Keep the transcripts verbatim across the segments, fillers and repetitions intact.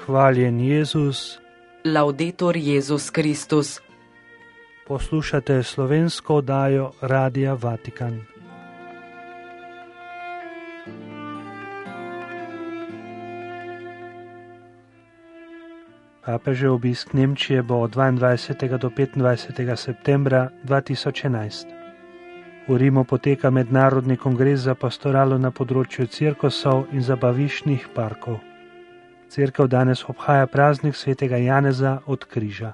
Hvaljen Jezus. Laudetur Jezus Kristus. Poslušate slovensko oddajo Radia Vatikan. Papežev obisk Nemčije bo od dvaindvajsetega do petindvajsetega septembra dva tisoč enajst. V Rimu poteka mednarodni kongres za pastoralo na področju cirkusov in zabaviščnih parkov. Cerkev danes obhaja praznik svetega Janeza od križa.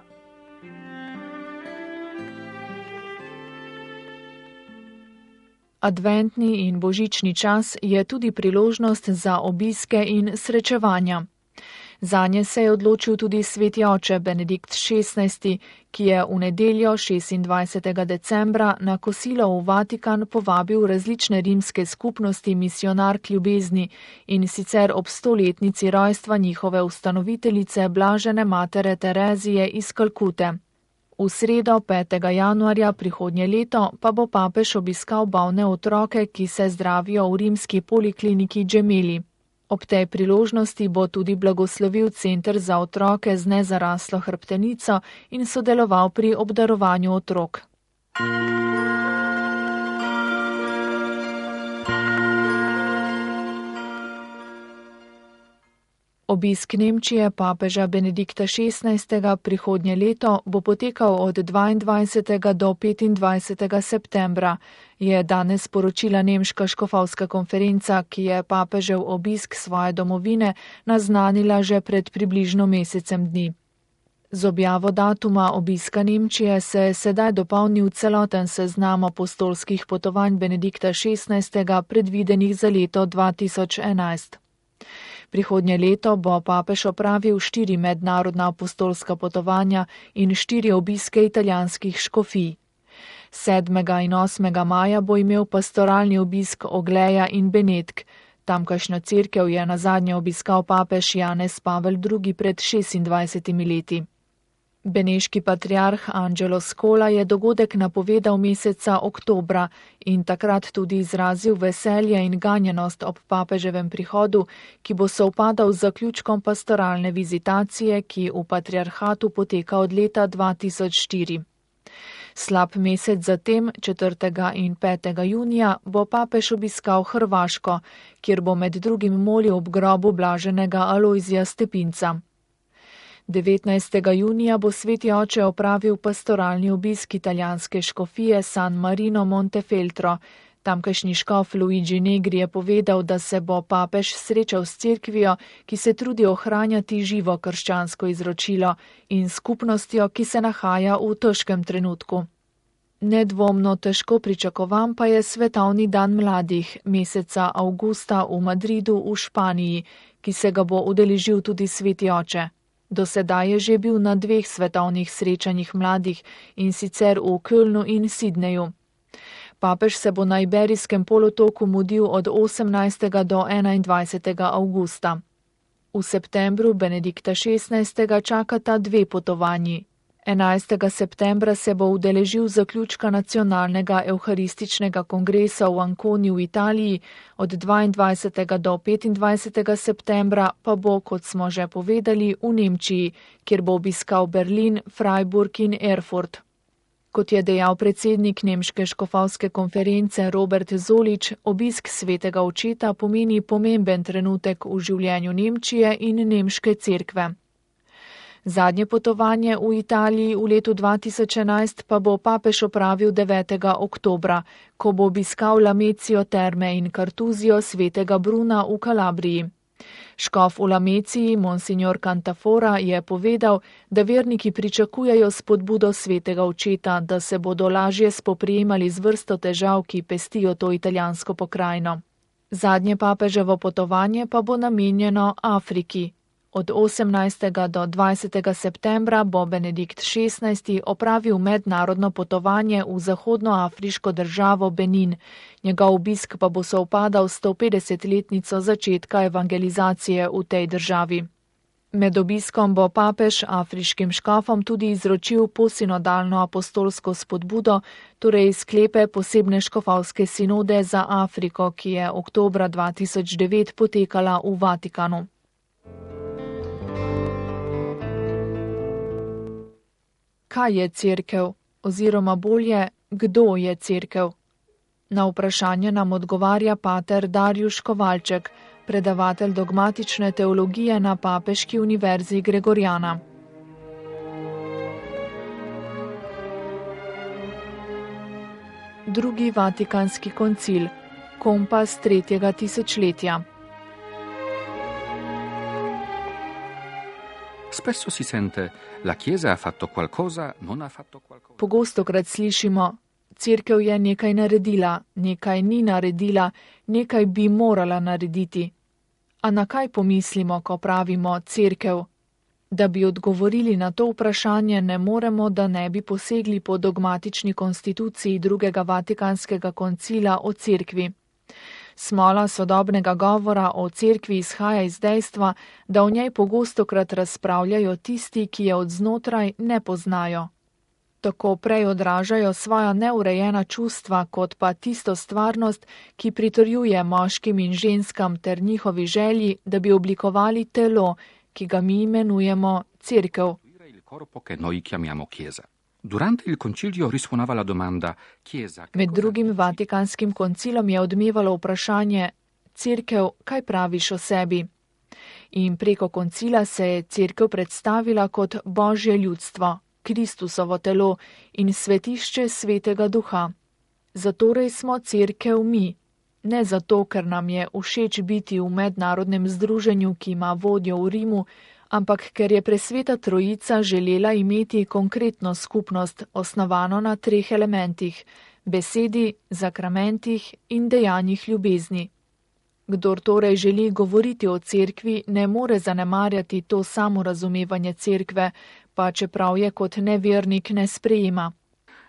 Adventni in božični čas je tudi priložnost za obiske in srečevanja. Zanje se je odločil tudi sveti oče Benedikt šestnajsti, ki je v nedeljo šestindvajsetega decembra na kosilo v Vatikan povabil različne rimske skupnosti misionark ljubezni in sicer ob stoletnici rojstva njihove ustanoviteljice blažene matere Terezije iz Kalkute. V sredo petega januarja prihodnje leto pa bo papež obiskal bolne otroke, ki se zdravijo v rimski polikliniki Gemelli. Ob tej priložnosti bo tudi blagoslovil center za otroke z nezaraslo hrbtenico in sodeloval pri obdarovanju otrok. Obisk Nemčije papeža Benedikta šestnajstega prihodnje leto bo potekal od dvaindvajsetega do petindvajsetega septembra, je danes sporočila nemška škofovska konferenca, ki je papežev obisk svoje domovine naznanila že pred približno mesecem dni. Z objavo datuma obiska Nemčije se je sedaj dopolnil celoten seznam apostolskih potovanj Benedikta šestnajstega predvidenih za leto dva tisoč enajst. Prihodnje leto bo papež opravil štiri mednarodna apostolska potovanja in štiri obiske italijanskih škofij. sedmega in osmega maja bo imel pastoralni obisk Ogleja in Benetk. Tamkajšnjo cerkev je nazadnje obiskal papež Janez Pavel drugi pred šestindvajsetimi leti. Beneški patriarh Angelo Scola je dogodek napovedal meseca oktobra in takrat tudi izrazil veselje in ganjenost ob papeževem prihodu, ki bo sovpadal z zaključkom pastoralne vizitacije, ki v patriarhatu poteka od leta dva tisoč štiri. Slab mesec zatem, četrtega in petega junija, bo papež obiskal Hrvaško, kjer bo med drugim molil ob grobu blaženega Alojzija Stepinca. devetnajstega junija bo sveti oče opravil pastoralni obisk italijanske škofije San Marino Montefeltro. Tamkajšnji škof Luigi Negri je povedal, da se bo papež srečal s cerkvijo, ki se trudi ohranjati živo krščansko izročilo in skupnostjo, ki se nahaja v težkem trenutku. Nedvomno težko pričakovan pa je svetovni dan mladih, meseca avgusta v Madridu v Španiji, ki se ga bo udeležil tudi sveti oče. Do sedaj je že bil na dveh svetovnih srečanjih mladih, in sicer v Kölnu in Sidneju. Papež se bo na Iberijskem polotoku mudil od osemnajstega do enaindvajsetega avgusta. V septembru Benedikta šestnajstega čakata dve potovanji. enajstega septembra se bo udeležil zaključka nacionalnega evharističnega kongresa v Anconi v Italiji, od dvaindvajsetega do petindvajsetega septembra pa bo, kot smo že povedali, v Nemčiji, kjer bo obiskal Berlin, Freiburg in Erfurt. Kot je dejal predsednik nemške škofovske konference Robert Zolič, obisk svetega očeta pomeni pomemben trenutek v življenju Nemčije in nemške cerkve. Zadnje potovanje v Italiji v letu dva tisoč enajst pa bo papež opravil devetega oktobra, ko bo obiskal Lamecijo terme in kartuzijo svetega Bruna v Kalabriji. Škof v Lameciji, monsignor Cantafora, je povedal, da verniki pričakujejo spodbudo svetega očeta, da se bodo lažje spoprijemali z vrsto težav, ki pestijo to italijansko pokrajino. Zadnje papeževo potovanje pa bo namenjeno Afriki. Od osemnajstega do dvajsetega septembra bo Benedikt šestnajsti opravil mednarodno potovanje v zahodnoafriško državo Benin. Njegov obisk pa bo sovpadal s sto petdesetletnico začetka evangelizacije v tej državi. Med obiskom bo papež afriškim škofom tudi izročil posinodalno apostolsko spodbudo, torej sklepe posebne škofovske sinode za Afriko, ki je oktobra dva tisoč devet potekala v Vatikanu. kaj je cerkev, oziroma bolje, kdo je cerkev. Na vprašanje nam odgovarja pater Darjuš Kovalček, predavatelj dogmatične teologije na Papeški univerzi Gregoriana. Drugi vatikanski koncil, kompas tretjega tisočletja. Spesso si sente, la Chiesa ha fatto qualcosa, non ha fatto qualcosa. Pogostokrat slišimo, cerkev je nekaj naredila, nekaj ni naredila, nekaj bi morala narediti. A na kaj pomislimo, ko pravimo cerkev? Da bi odgovorili na to vprašanje, ne moremo, da ne bi posegli po dogmatični konstituciji drugega vatikanskega koncila o cerkvi. Smola sodobnega govora o cerkvi izhaja iz dejstva, da o njej pogostokrat razpravljajo tisti, ki je od znotraj ne poznajo. Tako prej odražajo svoja neurejena čustva, kot pa tisto stvarnost, ki pritrjuje moškim in ženskam ter njihovi želji, da bi oblikovali telo, ki ga mi imenujemo cerkev. Med drugim Vatikanskim koncilom je odmevalo vprašanje: cerkev, kaj praviš o sebi? In preko koncila se je cerkev predstavila kot Božje ljudstvo, Kristusovo telo in svetišče Svetega Duha. Zatorej smo cerkev mi. Ne zato, ker nam je všeč biti v mednarodnem združenju, ki ima vodjo v Rimu, ampak ker je presveta trojica želela imeti konkretno skupnost, osnovano na treh elementih: besedi, zakramentih in dejanjih ljubezni. Kdor torej želi govoriti o cerkvi, ne more zanemarjati to samorazumevanje cerkve, pa čeprav je kot nevernik ne sprejema.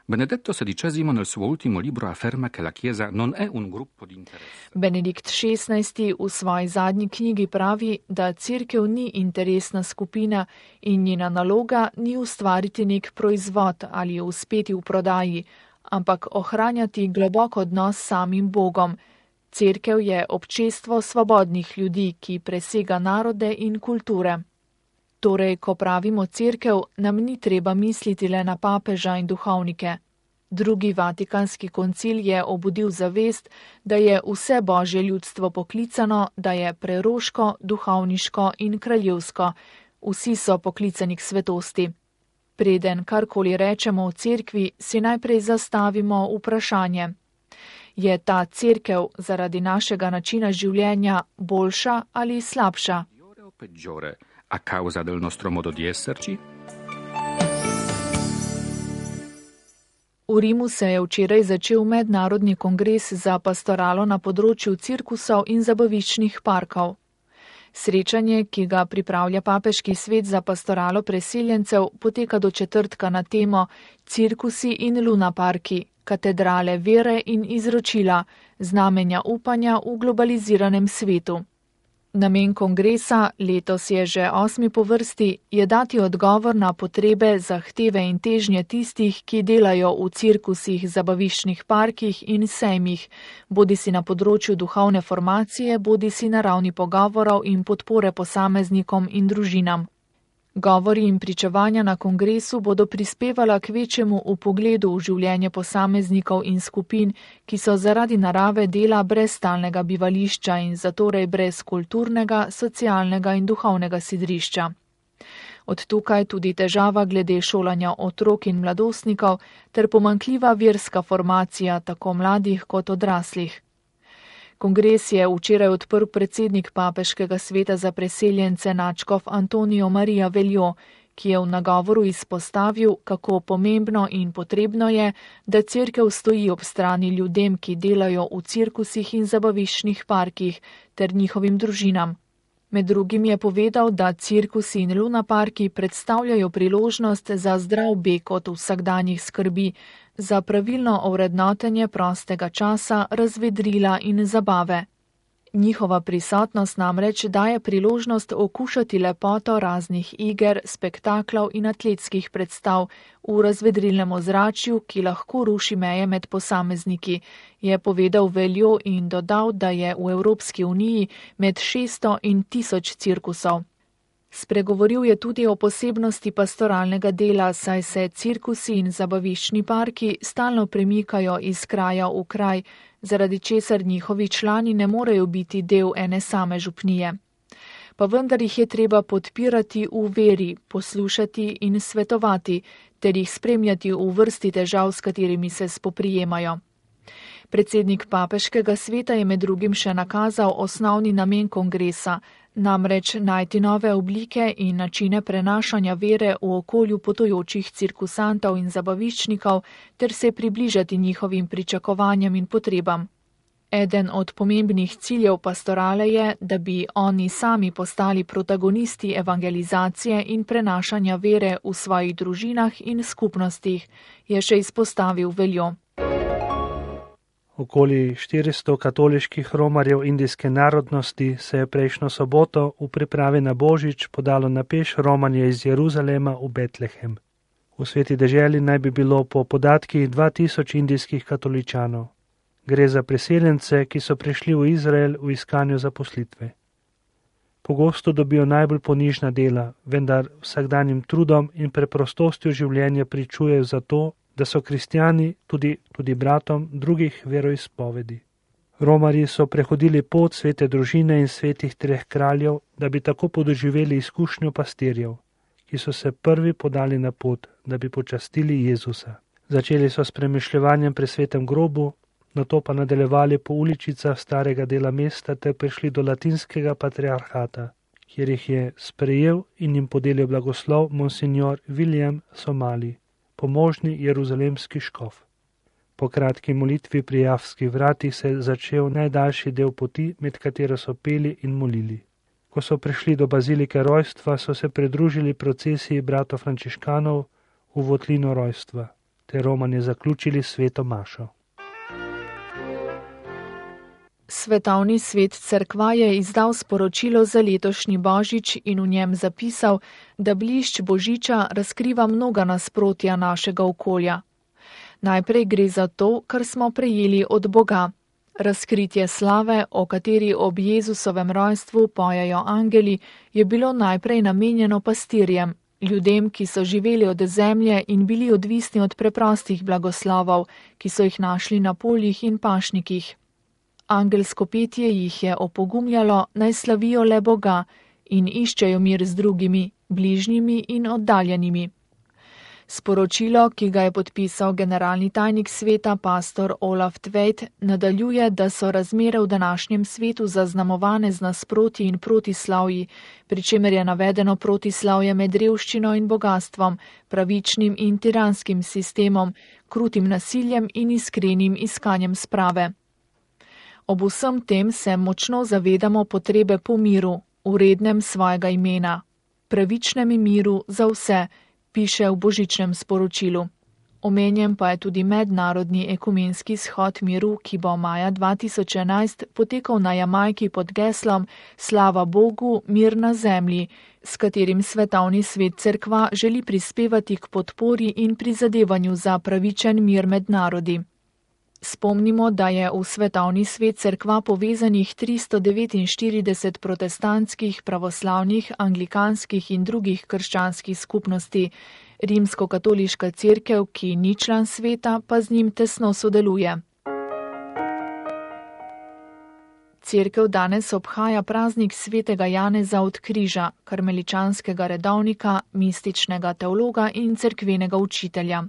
Benedetto sedicesimo nel suo ultimo libro afferma che la Chiesa non è un gruppo di interesse. Benedikt šestnajsti v svoji zadnji knjigi pravi, da cerkev ni interesna skupina in njena naloga ni ustvariti nek proizvod ali uspeti v prodaji, ampak ohranjati globok odnos s samim Bogom. Cerkev je občestvo svobodnih ljudi, ki presega narode in kulture. Torej, ko pravimo cerkev, nam ni treba misliti le na papeža in duhovnike. Drugi vatikanski koncil je obudil zavest, da je vse Božje ljudstvo poklicano, da je preroško, duhovniško in kraljevsko. Vsi so poklicani k svetosti. Preden karkoli rečemo o cerkvi, si najprej zastavimo vprašanje: je ta cerkev zaradi našega načina življenja boljša ali slabša? A causa del nostro modo di esserci? V Rimu se je včeraj začel mednarodni kongres za pastoralo na področju cirkusov in zabaviščnih parkov. Srečanje, ki ga pripravlja Papeški svet za pastoralo preseljencev, poteka do četrtka na temo Cirkusi in lunaparki, katedrale vere in izročila, znamenja upanja v globaliziranem svetu. Namen kongresa, letos je že osmi po vrsti, je dati odgovor na potrebe, zahteve in težnje tistih, ki delajo v cirkusih, zabaviščnih parkih in sejmih, bodisi na področju duhovne formacije, bodisi na ravni pogovorov in podpore posameznikom in družinam. Govori in pričevanja na kongresu bodo prispevala k večjemu vpogledu v življenje posameznikov in skupin, ki so zaradi narave dela brez stalnega bivališča in zatorej brez kulturnega, socialnega in duhovnega sidrišča. Od tukaj tudi težava glede šolanja otrok in mladostnikov ter pomanjkljiva verska formacija tako mladih kot odraslih. Kongres je včeraj odprl predsednik Papeškega sveta za preseljence nadškof Antonijo Marija Veljo, ki je v nagovoru izpostavil, kako pomembno in potrebno je, da cerkev stoji ob strani ljudem, ki delajo v cirkusih in zabaviščnih parkih, ter njihovim družinam. Med drugim je povedal, da cirkusi in lunaparki predstavljajo priložnost za zdrav beg od vsakdanjih skrbi, za pravilno ovrednotenje prostega časa, razvedrila in zabave. Njihova prisotnost namreč daje priložnost okušati lepoto raznih iger, spektaklov in atletskih predstav v razvedrilnem ozračju, ki lahko ruši meje med posamezniki, je povedal Veljo in dodal, da je v Evropski uniji med šeststo in tisoč cirkusov. Spregovoril je tudi o posebnosti pastoralnega dela, saj se cirkusi in zabaviščni parki stalno premikajo iz kraja v kraj, zaradi česar njihovi člani ne morejo biti del ene same župnije. Pa vendar jih je treba podpirati v veri, poslušati in svetovati, ter jih spremljati v vrsti težav, s katerimi se spoprijemajo. Predsednik papeškega sveta je med drugim še nakazal osnovni namen kongresa, namreč najti nove oblike in načine prenašanja vere v okolju potujočih cirkusantov in zabaviščnikov ter se približati njihovim pričakovanjem in potrebam. Eden od pomembnih ciljev pastorale je, da bi oni sami postali protagonisti evangelizacije in prenašanja vere v svojih družinah in skupnostih, je še izpostavil Veljo. Okoli štiristo katoliških romarjev indijske narodnosti se je prejšnjo soboto v pripravi na Božič podalo na peš romanje iz Jeruzalema v Betlehem. V sveti deželi naj bi bilo po podatkih dva tisoč indijskih katoličanov. Gre za priseljence, ki so prišli v Izrael v iskanju zaposlitve. Pogosto dobijo najbolj ponižna dela, vendar vsakdanjim trudom in preprostostjo življenja pričujejo za to, da so kristjani tudi, tudi bratom drugih veroizpovedi. Romarji so prehodili pot svete družine in svetih treh kraljev, da bi tako podoživeli izkušnjo pastirjev, ki so se prvi podali na pot, da bi počastili Jezusa. Začeli so s premišljevanjem pri svetem grobu, nato pa nadaljevali po uličicah starega dela mesta ter prišli do latinskega patriarhata, kjer jih je sprejel in jim podelil blagoslov monsignor William Somali, pomožni jeruzalemski škof. Po kratki molitvi pri Javskih vratih se je začel najdaljši del poti, med katero so peli in molili. Ko so prišli do bazilike rojstva, so se pridružili procesiji bratov frančiškanov v votlino rojstva, ter romanje zaključili sveto mašo. Svetovni svet cerkva je izdal sporočilo za letošnji Božič in v njem zapisal, da blišč Božiča razkriva mnoga nasprotja našega okolja. Najprej gre za to, kar smo prejeli od Boga. Razkritje slave, o kateri ob Jezusovem rojstvu pojejo angeli, je bilo najprej namenjeno pastirjem, ljudem, ki so živeli od zemlje in bili odvisni od preprostih blagoslovov, ki so jih našli na poljih in pašnikih. Angelsko petje jih je opogumljalo, naj slavijo le Boga in iščejo mir z drugimi, bližnjimi in oddaljenimi. Sporočilo, ki ga je podpisal generalni tajnik sveta pastor Olaf Tveit, nadaljuje, da so razmere v današnjem svetu zaznamovane z nasprotji in protislavji, pri čemer je navedeno protislavje med revščino in bogatstvom, pravičnim in tiranskim sistemom, krutim nasiljem in iskrenim iskanjem sprave. Ob vsem tem se močno zavedamo potrebe po miru, vrednem svojega imena, pravičnem miru za vse, piše v božičnem sporočilu. Omenjen pa je tudi mednarodni ekumenski shod miru, ki bo maja dva tisoč enajst potekal na Jamajki pod geslom Slava Bogu, mir na zemlji, s katerim svetovni svet cerkva želi prispevati k podpori in prizadevanju za pravičen mir med narodi. Spomnimo, da je v svetovni svet cerkva povezanih tristo devetinštirideset protestantskih, pravoslavnih, anglikanskih in drugih krščanskih skupnosti. Rimsko-katoliška cerkev, ki ni član sveta, pa z njim tesno sodeluje. Cerkev danes obhaja praznik svetega Janeza od Križa, karmeličanskega redovnika, mističnega teologa in cerkvenega učitelja.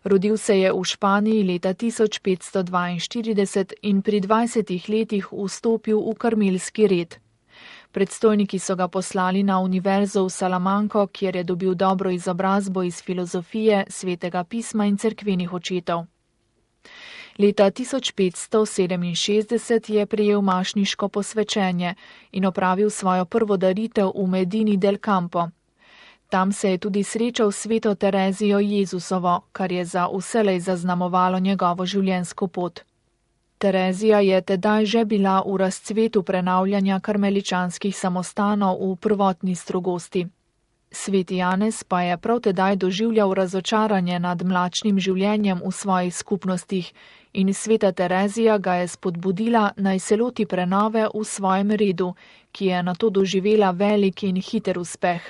Rodil se je v Španiji leta tisoč petsto dvainštirideset in pri dvajsetih letih vstopil v karmelski red. Predstojniki so ga poslali na univerzo v Salamanko, kjer je dobil dobro izobrazbo iz filozofije, svetega pisma in cerkvenih očetov. Leta tisoč petsto sedeminšestdeset je prejel mašniško posvečenje in opravil svojo prvo daritev v Medini del Campo. Tam se je tudi srečal s sveto Terezijo Jezusovo, kar je za vselej zaznamovalo njegovo življenjsko pot. Terezija je tedaj že bila v razcvetu prenavljanja karmeličanskih samostanov v prvotni strogosti. Sveti Janez pa je prav tedaj doživljal razočaranje nad mlačnim življenjem v svojih skupnostih in sveta Terezija ga je spodbudila, naj se loti prenove v svojem redu, ki je nato doživela velik in hiter uspeh.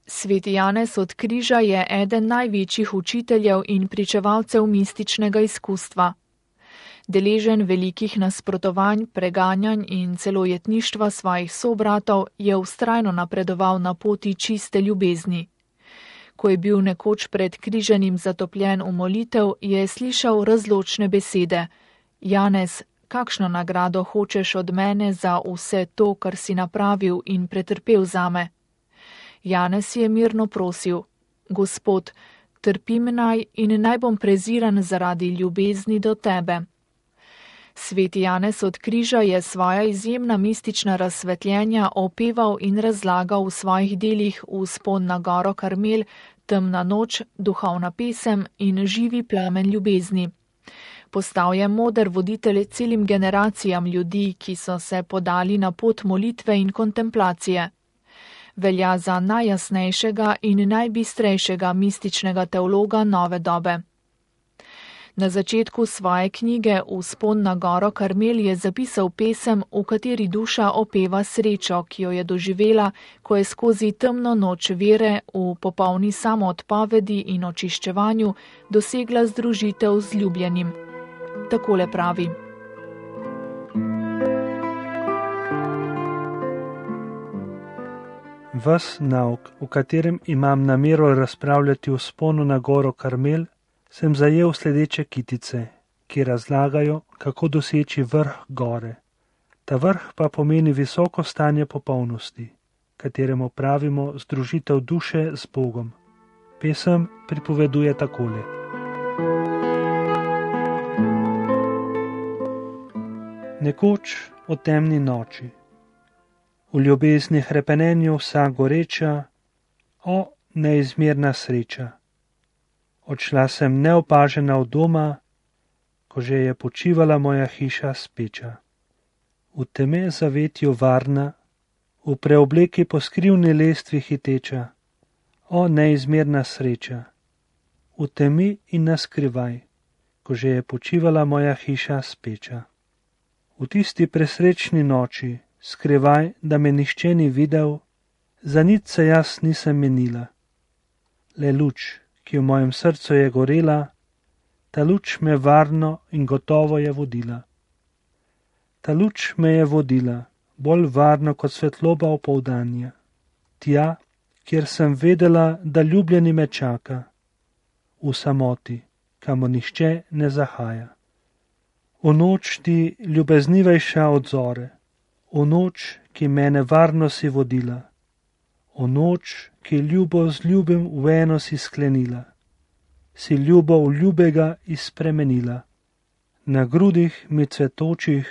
Sveti Janez od Križa je eden največjih učiteljev in pričevalcev mističnega izkustva. Deležen velikih nasprotovanj, preganjanj in celo jetništva svojih sobratov, je vztrajno napredoval na poti čiste ljubezni. Ko je bil nekoč pred križanim zatopljen v molitev, je slišal razločne besede: Janez, kakšno nagrado hočeš od mene za vse to, kar si napravil in pretrpel zame? Janez je mirno prosil: Gospod, trpim naj in naj bom preziran zaradi ljubezni do tebe. Sveti Janez od Križa je svoja izjemna mistična razsvetljenja opeval in razlagal v svojih delih Vzpon na goro Karmel, Temna noč, Duhovna pesem in Živi plamen ljubezni. Postal je moder voditelj celim generacijam ljudi, ki so se podali na pot molitve in kontemplacije. Velja za najjasnejšega in najbistrejšega mističnega teologa nove dobe. Na začetku svoje knjige Vzpon na goro Karmel je zapisal pesem, v kateri duša opeva srečo, ki jo je doživela, ko je skozi temno noč vere v popolni samoodpovedi in očiščevanju dosegla združitev z ljubljenim. Takole pravi: Ves nauk, v katerem imam namero razpravljati o vzponu na goro Karmel, sem zajel sledeče kitice, ki razlagajo, kako doseči vrh gore. Ta vrh pa pomeni visoko stanje popolnosti, kateremu pravimo združitev duše z Bogom. Pesem pripoveduje takole. Nekoč o temni noči, v ljubezni hrepenenju vsa goreča, o neizmerna sreča. Odšla sem neopažena od doma, ko že je počivala moja hiša speča. V teme zavetju varna, v preobleki po skrivni lestvi hiteča, o neizmerna sreča. V temi in naskrivaj, ko že je počivala moja hiša speča. V tisti presrečni noči, skrivaj, da me nihče ni videl, za nič se jaz nisem menila. Le luč, ki v mojem srcu je gorela, ta luč me varno in gotovo je vodila. Ta luč me je vodila, bolj varno kot svetloba opoldanja, tja, kjer sem vedela, da ljubljeni me čaka, v samoti, kamor nihče ne zahaja. V noč ti ljubeznivejša od zore, v noč, ki mene varno si vodila, v noč, ki ljubo z ljubim v eno si sklenila, si ljubo v ljubega izspremenila. Na grudih mi cvetočih,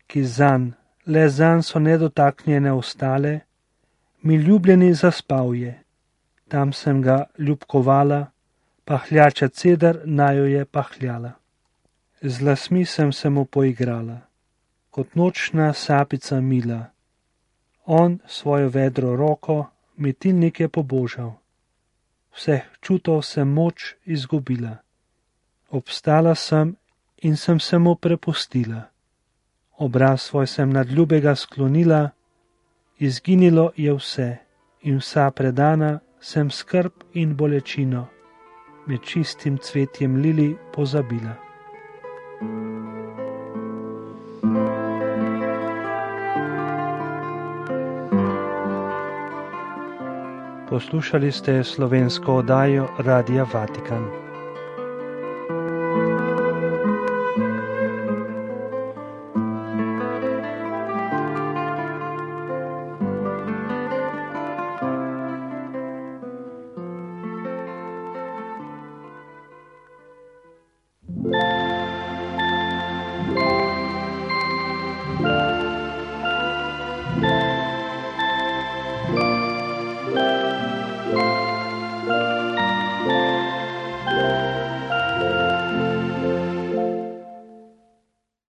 ki zanj, le zanj so nedotaknjene ostale, mi ljubljeni zaspal je. Tam sem ga ljubkovala, pahljača ceder najo je pahljala. Z lasmi sem se mu poigrala, kot nočna sapica mila. On svojo vedro roko mi tilnik je pobožal. Vseh čutov sem moč izgubila. Obstala sem in sem se mu prepustila. Obraz svoj sem nad ljubega sklonila, izginilo je vse in vsa predana sem skrb in bolečino med čistim cvetjem lili pozabila. Poslušali ste slovensko oddajo Radia Vatikan.